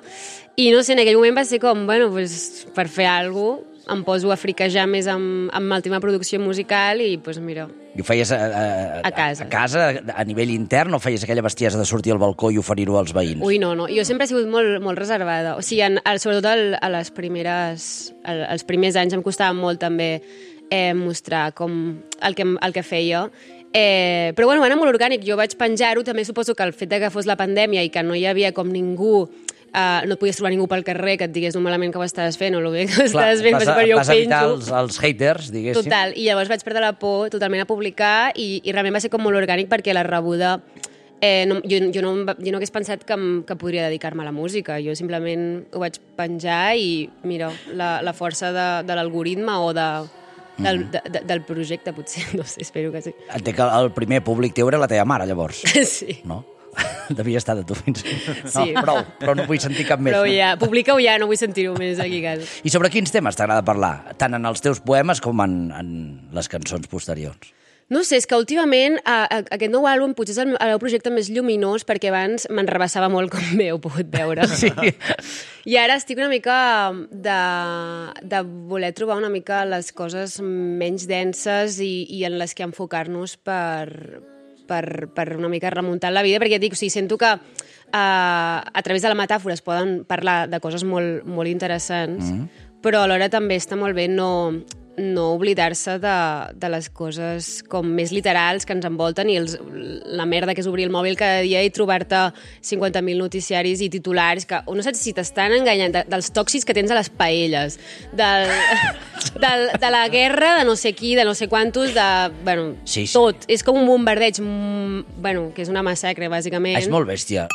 i no sé, en aquell moment va ser com, bueno, pues, per fer alguna cosa, em poso a friquejar més amb el tema producció musical i, doncs, mira... I ho feies a casa, a nivell intern, o feies aquella bestiesa de sortir al balcó i oferir-ho als veïns? Ui, no. Jo sempre he sigut molt reservada. O sigui, sobretot els primers anys em costava molt també mostrar com el que feia. Però bueno, va anar molt orgànic. Jo vaig penjar-ho, també suposo que el fet que fos la pandèmia i que no hi havia com ningú, no et podies trobar ningú pel carrer que et digués el malament que ho estaves fent o el bé que ho estaves fent, per jo ho vas evitar penjo. els haters, diguéssim. Total, i llavors vaig perdre la por totalment a publicar i realment va ser com molt orgànic perquè la rebuda... jo no hagués pensat que podria dedicar-me a la música. Jo simplement ho vaig penjar i, mira, la força de l'algoritme o del projecte, potser, no sé, espero que sí. Entenc que el primer públic teu era la teva mare, llavors. Sí. No? Devia estar de tu fins... Sí. No, però no vull sentir cap més. Però ja, publica-ho ja, no vull sentir-ho més aquí a casa. I sobre quins temes t'agrada parlar? Tant en els teus poemes com en les cançons posteriors. No sé, és que últimament aquest nou àlbum potser és el meu projecte més lluminós perquè abans m'enrebaçava molt, com bé heu pogut veure. Sí. I ara estic una mica de voler trobar una mica les coses menys denses i en les que enfocar-nos per una mica remuntar la vida, perquè dic, o sigui, sento que a través de la metàfora es poden parlar de coses molt, molt interessants, però alhora també està molt bé no oblidar-se de les coses com més literals que ens envolten i la merda que és obrir el mòbil cada dia i trobar-te 50.000 noticiaris i titulars que no saps si t'estan enganyant, dels tòxics que tens a les paelles, de la guerra de no sé qui, de no sé quantos, bueno, sí. Tot. És com un bombardeig, bueno, que és una massacre, bàsicament. És molt bèstia.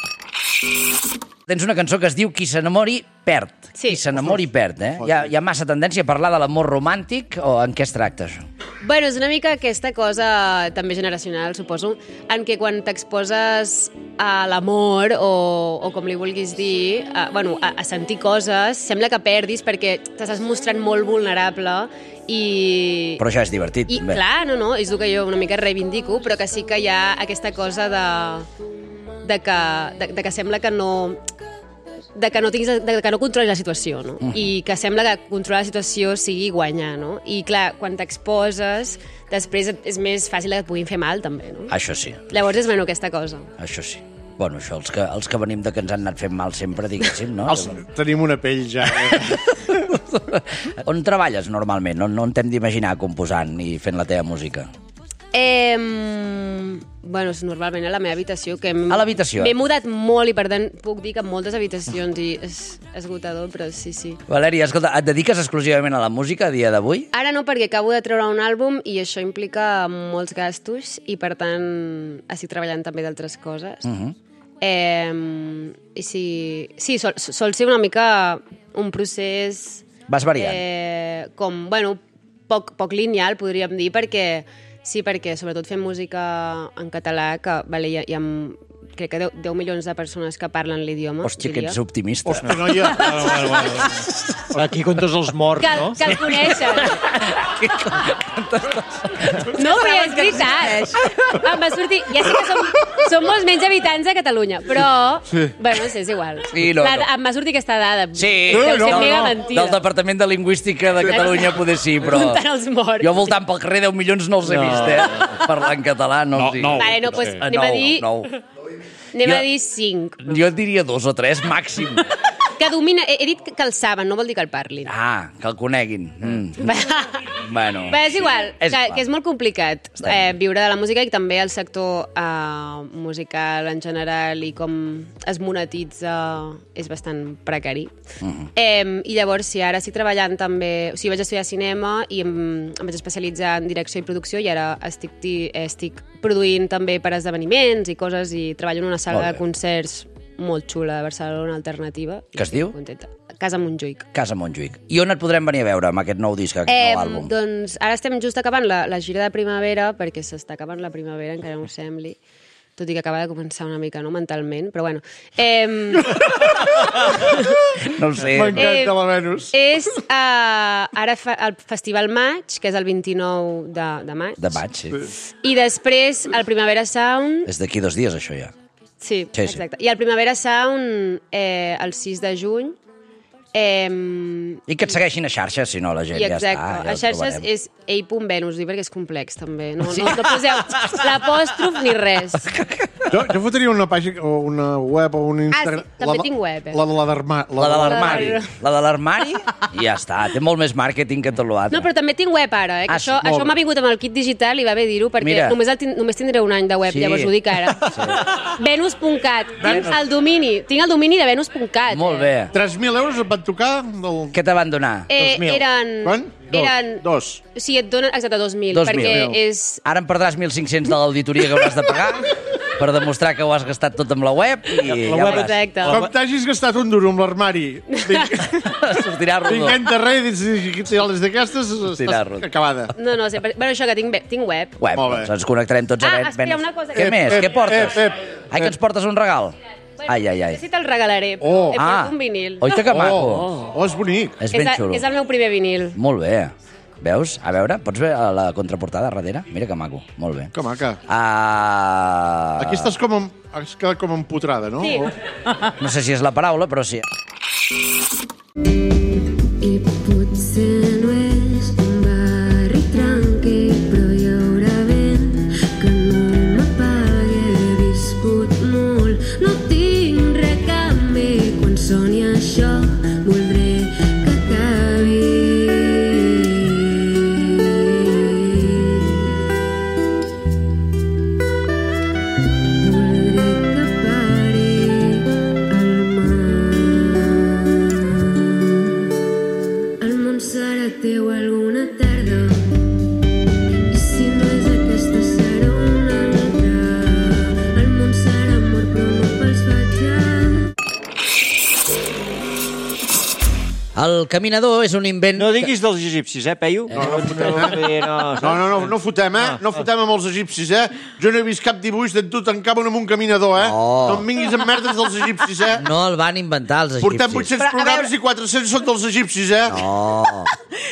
Tens una cançó que es diu Qui s'enamori, perd. Sí. Qui s'enamori, perd, eh? Hi ha massa tendència a parlar de l'amor romàntic o en què es tracta, això? Bueno, és una mica aquesta cosa també generacional, suposo, en què quan t'exposes a l'amor o com li vulguis dir, a sentir coses, sembla que perdis perquè t'estàs mostrant molt vulnerable i... Però això és divertit, també. Clar, no, és el que jo una mica reivindico, però que sí que hi ha aquesta cosa de que sembla que no controlis la situació, no? I que sembla que controlar la situació sigui guanyar, no? I clar, quan t'exposes, després és més fàcil que et puguin fer mal, també, no? Això sí. Llavors és menys aquesta cosa. Això sí. Bueno, això, els que venim de que ens han anat fent mal sempre, diguéssim, no? Tenim una pell ja. On treballes normalment? On t'hem d'imaginar composant i fent la teva música? Bueno, és normalment a la meva habitació. A l'habitació? M'he mudat molt i, per tant, puc dir que en moltes habitacions i és esgotador, però sí. Valèria, escolta, et dediques exclusivament a la música a dia d'avui? Ara no, perquè acabo de treure un àlbum i això implica molts gastos i, per tant, estic treballant també d'altres coses. I sí, sol ser una mica un procés... Vas variant. Poc lineal, podríem dir, perquè sobretot fem música en català, que hi ha crec que 10 milions de persones que parlen l'idioma. Hòstia, que ets optimista. Hòstia, noia. Aquí com tots els morts, no? Que el coneixen. No, però és veritat. Em va sortir... Ja sé que som molts menys habitants de Catalunya, però... Bueno, no sé, és igual. Em va sortir aquesta dada. Sí, mega mentida. Del Departament de Lingüística de Catalunya poder sí, però... Comptant els morts. Jo voltant pel carrer 10 milions no els he vist, parlar en català, no els dic. Vale, no, doncs anem a dir... Anem a dir 5. Jo et diria 2 o 3, màxim. Que domina... He dit que el saben, no vol dir que el parlin. Ah, que el coneguin. Bueno... És igual, que és molt complicat viure de la música i també el sector musical en general i com es monetitza és bastant precari. I llavors, sí, ara estic treballant també... O sigui, vaig estudiar cinema i em vaig especialitzar en direcció i producció i ara estic produint també per esdeveniments i coses i treballo en una sala de concerts molt xula de Barcelona, alternativa. Que es diu? Contenta. Casa Montjuïc. Casa Montjuïc. I on et podrem venir a veure amb aquest nou disc, aquest nou àlbum? Doncs ara estem just acabant la gira de primavera, perquè s'està acabant la primavera, encara no ho sembli, tot i que acaba de començar una mica, no?, mentalment, però bueno. No ho sé. M'encanta la Venus. És ara el Festival Maig, que és el 29 de maig. De maig, sí. I després el Primavera Sound... És d'aquí 2 dies, això ja. Sí, exacte. I el Primavera Sound el 6 de juny I que et segueixin a xarxes, si no la gent ja està. Exacte. A xarxes és ei.venus, perquè és complex, també. No poseu l'apòstrof ni res. Jo fotria una pàgina, o una web, o un Instagram... també tinc web. La de l'armari. La de l'armari, i ja està. Té molt més màrqueting que tot l'altre. No, però també tinc web ara, que això m'ha vingut amb el kit digital i va bé dir-ho, perquè només tindré un any de web, llavors ho dic ara. Venus.cat. Tinc el domini de venus.cat. Molt bé. 3.000 euros et van tocar? Què te van donar? 2.000. Quan? Dos. Sí, et donen, exacte, 2.000. Perquè és... Ara em perdràs 1.500 de l'auditoria que hauràs de pagar per demostrar que ho has gastat tot amb la web i ja veuràs. Exacte. Com t'hagis gastat un duro amb l'armari, sortirà rodó. Vinguent de rei, les d'aquestes, acabada. No, bueno, això que tinc web. Doncs ens connectarem tots a Venus. Espera, una cosa. Què més? Què portes? Ai, que ens portes un regal? Ai. Sí, te'l regalaré. Porto un vinil. Oita que maco. És bonic. És ben xulo. És el meu primer vinil. Molt bé. Veus? A veure, pots veure la contraportada darrere? Mira que maco. Molt bé. Que maca. Aquí has quedat com empotrada, no? Sí. No sé si és la paraula, però sí. I potser no és un barri tranquil, però hi haurà vent que no m'apagui. He viscut molt, no tinc res a canvi. Quan soni això, voldré que acabi. Teu alguna tarda, i si no és aquesta serà una altra. El món serà amor però no pels El caminador és un invent... No diguis dels egipcis, Peyu? No fotem, No fotem amb els egipcis, Jo no he vist cap dibuix de tu tancant amb un caminador, No em vinguis amb merdes dels egipcis, No el van inventar, els egipcis. Portem 800 programes i 400 són dels egipcis, No.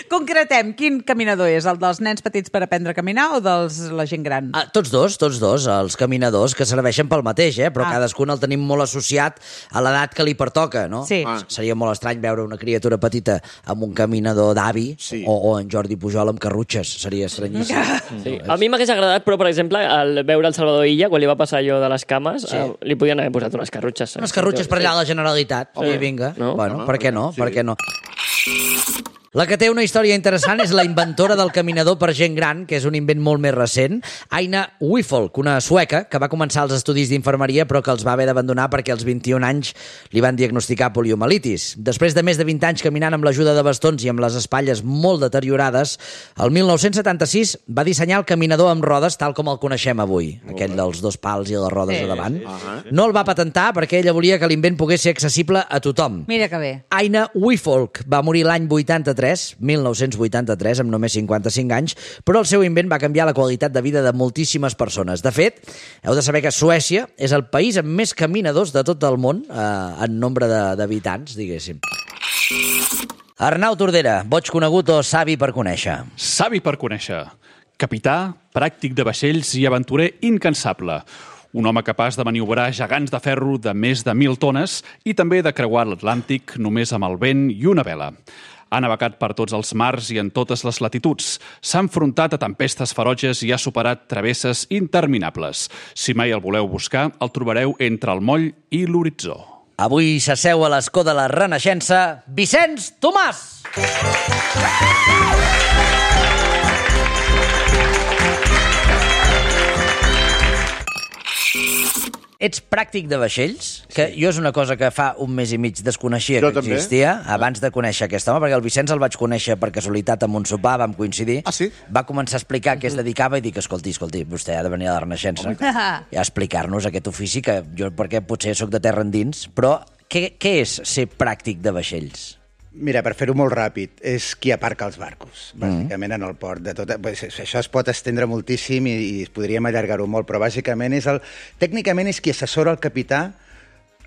Concretem, quin caminador és? El dels nens petits per aprendre a caminar o dels la gent gran? Tots dos, els caminadors, que serveixen pel mateix, però cadascun el tenim molt associat a l'edat que li pertoca, no? Sí. Seria molt estrany veure una criatura petita amb un caminador d'avi o en Jordi Pujol amb carrutxes. Seria estranyíssim. Sí. A mi m'hagués agradat, però, per exemple, veure el Salvador Illa, quan li va passar allò de les cames, li podien haver posat unes carrutxes. Unes carrutxes per allà a la Generalitat. I vinga. Bueno, per què no? Per què no? La que té una història interessant és la inventora del caminador per gent gran, que és un invent molt més recent, Aina Wifolk, una sueca que va començar els estudis d'infermeria però que els va haver d'abandonar perquè als 21 anys li van diagnosticar poliomielitis. Després de més de 20 anys caminant amb l'ajuda de bastons i amb les espatlles molt deteriorades, el 1976 va dissenyar el caminador amb rodes tal com el coneixem avui, aquell dels dos pals i les rodes a davant. No el va patentar perquè ella volia que l'invent pogués ser accessible a tothom. Mira que bé. Aina Wifolk va morir l'any 1983, amb només 55 anys, però el seu invent va canviar la qualitat de vida de moltíssimes persones. De fet, heu de saber que Suècia és el país amb més caminadors de tot el món en nombre d'habitants, diguéssim. Arnau Tordera, boig conegut o savi per conèixer? Savi per conèixer. Capità, pràctic de vaixells i aventurer incansable. Un home capaç de maniobrar gegants de ferro de més de 1.000 tones i també de creuar l'Atlàntic només amb el vent i una vela. Ha navegat per tots els mars i en totes les latituds. S'ha enfrontat a tempestes ferotges i ha superat travesses interminables. Si mai el voleu buscar, el trobareu entre el moll i l'horitzó. Avui s'asseu a l'escó de la Renaixença, Vicenç Tomàs! Ets pràctic de vaixells, que jo és una cosa que fa un mes i mig desconeixia que existia, abans de conèixer aquest home, perquè el Vicenç el vaig conèixer per casualitat en un sopar, vam coincidir, va començar a explicar què es dedicava i dic, escolti, vostè ha de venir a la Renaixença i a explicar-nos aquest ofici, que jo perquè potser sóc de terra endins, però què és ser pràctic de vaixells? Mira, per fer-ho molt ràpid, és qui aparca els barcos, bàsicament en el port. Això es pot estendre moltíssim i podríem allargar-ho molt, però bàsicament tècnicament és qui assessora el capità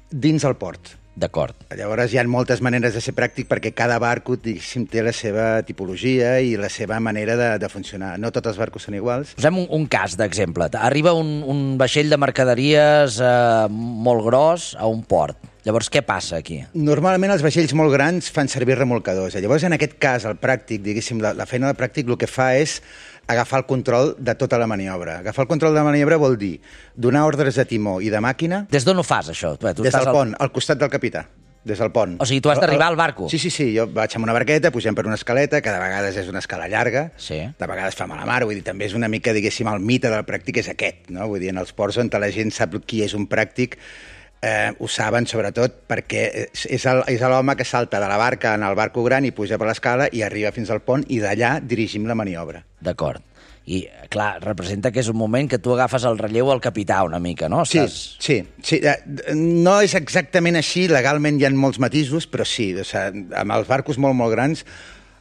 dins el port. D'acord. Llavors hi ha moltes maneres de ser pràctic perquè cada barco té la seva tipologia i la seva manera de funcionar. No tots els barcos són iguals. Posem un cas d'exemple. Arriba un vaixell de mercaderies molt gros a un port. Llavors, què passa aquí? Normalment els vaixells molt grans fan servir remolcadors. Llavors, en aquest cas, el pràctic, diguéssim, la feina del pràctic el que fa és agafar el control de tota la maniobra. Agafar el control de la maniobra vol dir donar ordres de timó i de màquina... Des d'on ho fas, això? Des del pont, al costat del capità. Des del pont. O sigui, tu has d'arribar al barco? Sí, jo vaig amb una barqueta, pugem per una escaleta, que de vegades és una escala llarga, de vegades fa mala mar, vull dir, també és una mica, diguéssim, el mite del pràctic és aquest, no? Vull dir, en els ports on la gent sap qui és un pràctic, ho saben sobretot perquè és l'home que salta de la barca en el barco gran i puja per l'escala i arriba fins al pont i d'allà dirigim la maniobra. D'acord. I, clar, representa que és un moment que tu agafes el relleu al capità una mica, no? Sí. No és exactament així, legalment hi ha molts matisos, però sí, o sigui, amb els barcos molt, molt grans,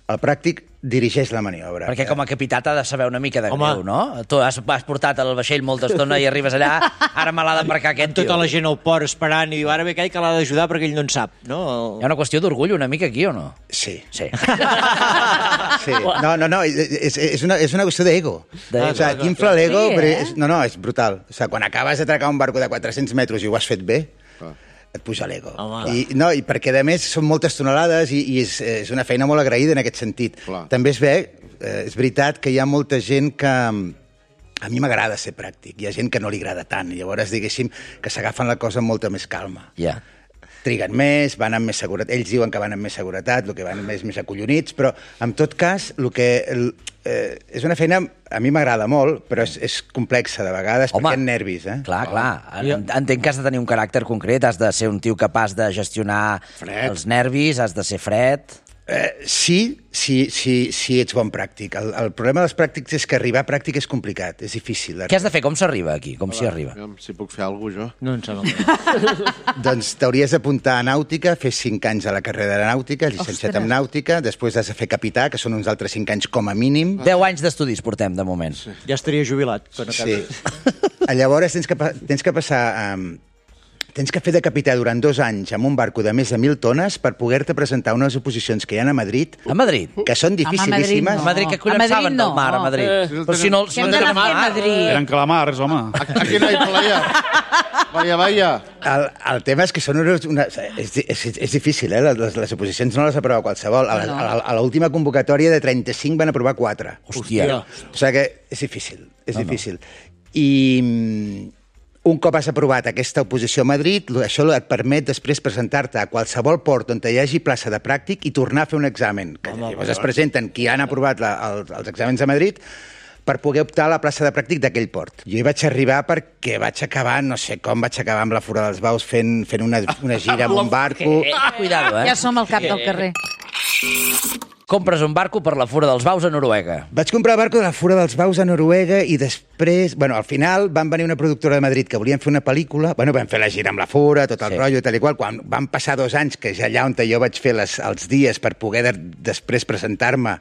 el pràctic dirigeix la maniobra. Perquè com a capità t'ha de saber una mica de greu, no? Tu has portat el vaixell molta estona i arribes allà, ara me l'ha d'embarcar aquest tio. Tota la gent al port esperant i diu, ara ve aquell que l'ha d'ajudar perquè ell no en sap, no? Hi ha una qüestió d'orgull una mica aquí, o no? Sí. No, és una qüestió d'ego. O sigui, t'infla l'ego, però és brutal. O sigui, quan acabes d'atracar un barco de 400 metres i ho has fet bé, et puja l'ego. I perquè, a més, són moltes tonelades i és una feina molt agraïda en aquest sentit. També és veritat que hi ha molta gent que... A mi m'agrada ser pràctic. Hi ha gent que no li agrada tant. Llavors, diguéssim, que s'agafen la cosa amb molta més calma. Triguen més, van amb més seguretat. Ells diuen que van amb més seguretat, el que van més acollonits, però, en tot cas, és una feina... A mi m'agrada molt, però és complexa de vegades, perquè hi ha nervis. Clar. Entenc que has de tenir un caràcter concret, has de ser un tio capaç de gestionar els nervis, has de ser fred... Sí, ets bon pràctic. El problema dels pràctics és que arribar a pràctic és complicat, és difícil. Què has de fer? Com s'arriba aquí? Com s'hi arriba? Si puc fer alguna cosa, jo. No en sap. Doncs t'hauries d'apuntar a nàutica, fer 5 anys a la carrera de nàutica, llicenciat en nàutica, després has de fer capità, que són uns altres 5 anys com a mínim. 10 anys d'estudis portem, de moment. Ja estaria jubilat. Sí. Llavors tens que passar... Tens que fer de capità durant 2 anys amb un barco de més de 1.000 tones per poder-te presentar unes oposicions que hi ha a Madrid. A Madrid? Que són dificilíssimes. A Madrid, que collons saben del mar, a Madrid? Però si no... Què hem d'anar a fer a Madrid? Eren calamars, home. Aquí no hi playa. Vaya. El tema és que són és difícil, les oposicions no les aprova qualsevol. A l'última convocatòria de 35 van aprovar 4. Hòstia. O sigui que és difícil. I... Un cop has aprovat aquesta oposició a Madrid, això et permet després presentar-te a qualsevol port on hi hagi plaça de pràctic i tornar a fer un examen. Llavors es presenten qui han aprovat els exàmens a Madrid per poder optar a la plaça de pràctic d'aquell port. Jo hi vaig arribar perquè vaig acabar, no sé com, vaig acabar amb la Fura dels Baus fent una gira amb un barco. Cuidado, Ja som al cap del carrer. Compres un barco per la Fura dels Baus a Noruega. Vaig comprar el barco de la Fura dels Baus a Noruega i després, al final van venir una productora de Madrid que volien fer una pel·lícula, vam fer la gira amb la Fura, tot el rotllo i tal i qual. Quan van passar 2 anys, que és allà on jo vaig fer els dies per poder després presentar-me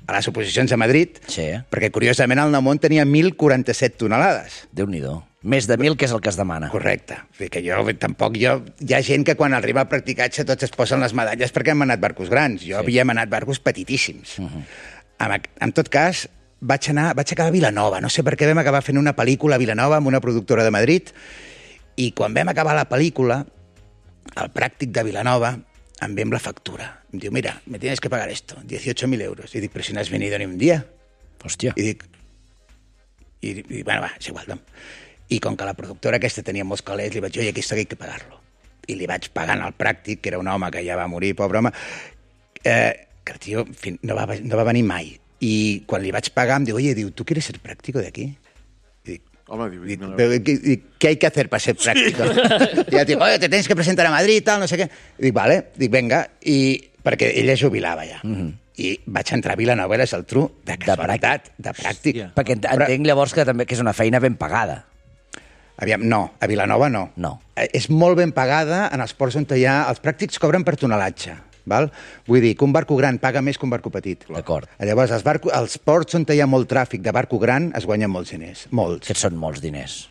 a les oposicions a Madrid, perquè curiosament el Namont tenia 1.047 tonelades. Déu-n'hi-do. Més de 1.000, que és el que es demana. Correcte. Hi ha gent que quan arriba al practicatge tots es posen les medalles perquè hem anat barcos grans. Jo havíem anat barcos petitíssims. En tot cas, vaig acabar a Vilanova. No sé per què vam acabar fent una pel·lícula a Vilanova amb una productora de Madrid i quan vam acabar la pel·lícula, el pràctic de Vilanova em ve amb la factura. Em diu, mira, me tienes que pagar esto, 18.000 euros. I dic, però si no has venido ni un dia. Hòstia. I dic, bueno, va, és igual, no. I com que la productora aquesta tenia molts calés, li vaig dir, oye, que esto hay que pagarlo. I li vaig pagant al pràctic, que era un home que ja va morir, pobre home, que el tio no va venir mai. I quan li vaig pagar em diu, oye, ¿tú quieres ser práctico de aquí? I dic, ¿qué hay que hacer para ser práctico? I ja dic, oye, te tienes que presentar a Madrid, tal, no sé què. I dic, vale, venga, perquè ella jubilava ja. I vaig entrar a Vilanova i la Geltrú de casualitat, de pràctic. Perquè entenc llavors que és una feina ben pagada. Aviam, no, a Vilanova no. És molt ben pagada en els ports on hi ha... Els pràctics cobren per tonelatge, val? Vull dir que un barco gran paga més que un barco petit. D'acord. Llavors, els ports on hi ha molt tràfic de barco gran es guanyen molts diners, molts. Que són molts diners.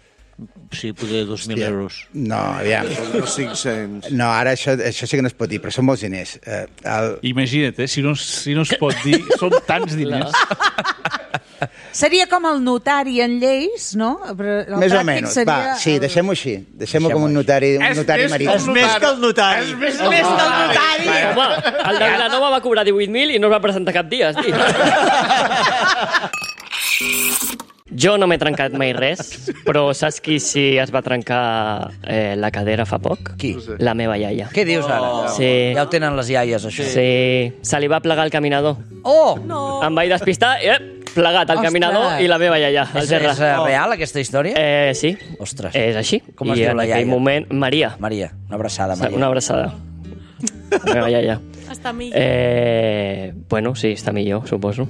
Sí, potser 2.000 euros. No, aviam. 500. No, ara això sí que no es pot dir, però són molts diners. Imagina't, si no es pot dir, són tants diners. Seria com el notari en lleis, no? Més o menys. Va, sí, deixem-ho així. Deixem-ho com un notari marí. És més que el notari. És més que el notari. Home, el de Vilanova va cobrar 18.000 i no es va presentar cap dia, estic. Jo no m'he trencat mai res, però saps qui sí es va trencar la cadera fa poc? Qui? La meva iaia. Què dius ara? Sí. Ja ho tenen les iaies, això. Sí. Se li va plegar el caminador. Oh! No. Em vaig despistar i plegat el caminador i la meva iaia. És real, aquesta història? Sí. Ostres. És així. Com es diu la iaia? I en aquell moment, Maria. Maria. Una abraçada, Maria. Una abraçada. La meva iaia. Està millor. Bueno, sí, està millor, suposo.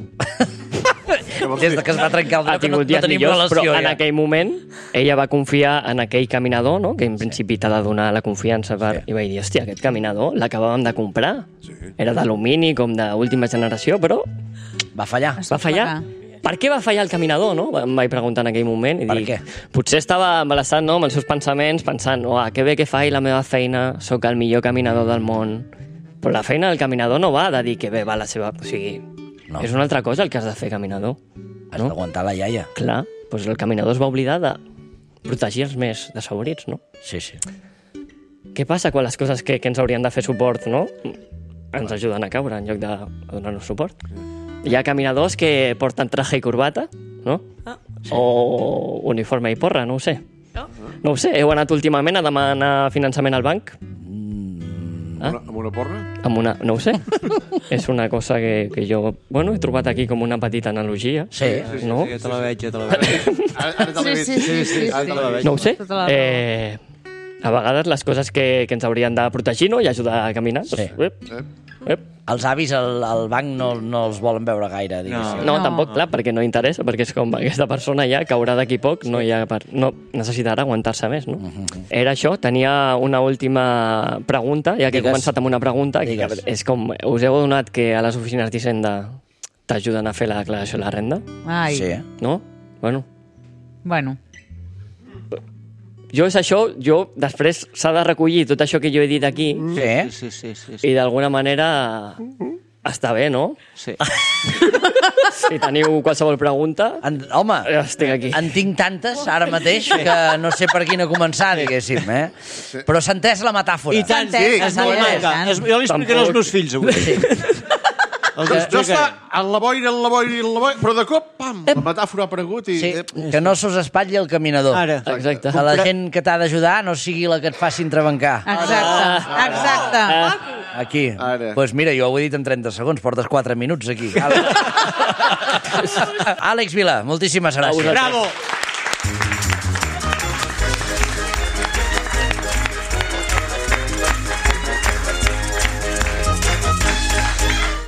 Des que es va trencar el ha tingut dies millors, però en aquell moment ella va confiar en aquell caminador, no? Que en principi t'ha de donar la confiança per... I vaig dir, hòstia, aquest caminador l'acabàvem de comprar. Era d'alumini, com d'última generació, però... Va fallar. Va fallar. Per què va fallar el caminador, no? Em vaig preguntar en aquell moment. I dic, potser estava embalassat, no?, amb els seus pensaments, pensant, que bé que faig la meva feina, sóc el millor caminador del món. Però la feina del caminador no va de dir que bé va la seva... O sigui, no. És una altra cosa el que has de fer caminador. Has d'aguantar la iaia. Clar, doncs el caminador es va oblidar de protegir els més desfavorits, no? Sí, sí. Què passa quan les coses que ens haurien de fer suport, no?, ens ajuden a caure en lloc de donar-nos suport? Hi ha caminadors que porten traje i corbata, no? Sí. O uniforme i porra, no ho sé. No ho sé, heu anat últimament a demanar finançament al banc? Amb una porra? Amb una... No ho sé. És una cosa que jo... Bueno, he trobat aquí com una petita analogia. Sí. No? Sí, te la veig, ja te la veig. Ara te la veig. Sí. Ara te la veig. No ho sé. A vegades les coses que ens haurien de protegir, no?, i ajudar a caminar. Sí. Els avis al banc no els volen veure gaire, diguéssim. No, tampoc, clar, perquè no interessa, perquè és com aquesta persona ja caurà d'aquí poc, no necessitarà aguantar-se més, no? Era això, tenia una última pregunta, ja que he començat amb una pregunta, que és com, us heu adonat que a les oficines d'Hisenda t'ajuden a fer la declaració de la renda? Ai. Sí. No? Bueno. Jo és això, després s'ha de recollir tot això que jo he dit aquí. Sí. I d'alguna manera està bé, no? Sí. Si teniu qualsevol pregunta... Home, estic aquí. en tinc tantes ara mateix que no sé per quina començar, diguéssim, Però s'ha entès la metàfora. I tant, jo li explicaré als meus fills avui. Sí. Jo està en la boira, però de cop, pam, la metàfora ha aparegut i... Sí, que no s'us espatlli el caminador. Ara. Exacte. Que la gent que t'ha d'ajudar no sigui la que et faci entrebancar. Exacte. Aquí. Doncs mira, jo ho he dit en 30 segons, portes 4 minuts aquí. Àlex Vila, moltíssimes gràcies. Bravo!